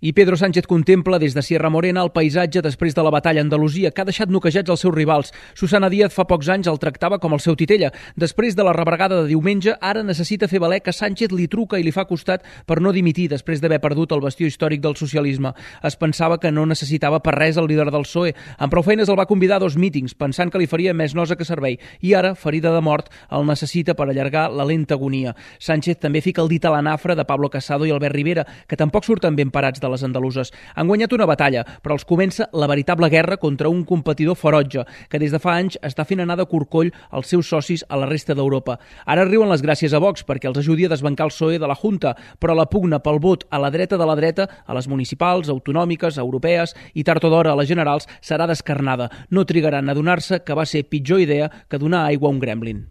I Pedro Sánchez contempla des de Sierra Morena el paisatge després de la batalla a Andalusia, que ha deixat noquejats els seus rivals. Susana Díaz fa pocs anys el tractava com el seu titella. Després de la rebregada de diumenge, ara necessita fer valer que Sánchez li truca i li fa costat per no dimitir després d'haver perdut el bastió històric del socialisme. Es pensava que no necessitava per res el líder del PSOE. Amb prou feines el va convidar a 2 mítings, pensant que li faria més nosa que servei. I ara, ferida de mort, el necessita per allargar la lenta agonia. Sánchez també fica el dit a la nafra de Pablo Casado i Albert Rivera, que tampoc surten ben parats de les andaluses. Han guanyat una batalla, però els comença la veritable guerra contra un competidor ferotge, que des de fa anys està fent anar de corcoll els seus socis a la resta d'Europa. Ara riuen les gràcies a Vox perquè els ajudi a desbancar el PSOE de la Junta, però la pugna pel vot a la dreta de la dreta, a les municipals, autonòmiques, europees i tard o d'hora a les generals, serà descarnada. No trigaran a adonar-se que va ser pitjor idea que donar aigua a un gremlin.